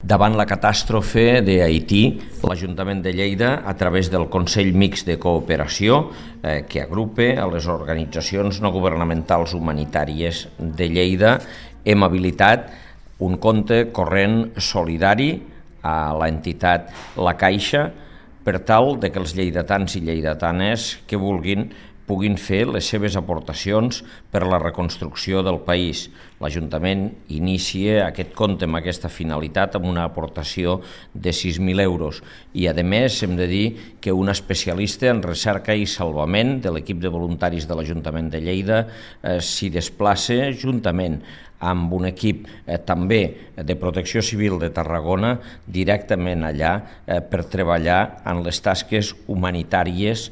Davant la catàstrofe d'Haití, l'Ajuntament de Lleida, a través del Consell Mixt de Cooperació, que agrupa a les organitzacions no governamentals humanitàries de Lleida, hem habilitat un compte corrent solidari a l'entitat La Caixa per tal que els lleidatans i lleidatanes que vulguin puguin fer les seves aportacions per a la reconstrucció del país. L'Ajuntament inicia aquest compte amb aquesta finalitat amb una aportació de 6.000 euros i, a més, hem de dir que un especialista en recerca i salvament de l'equip de voluntaris de l'Ajuntament de Lleida s'hi desplaça juntament amb un equip també de Protecció Civil de Tarragona directament allà per treballar en les tasques humanitàries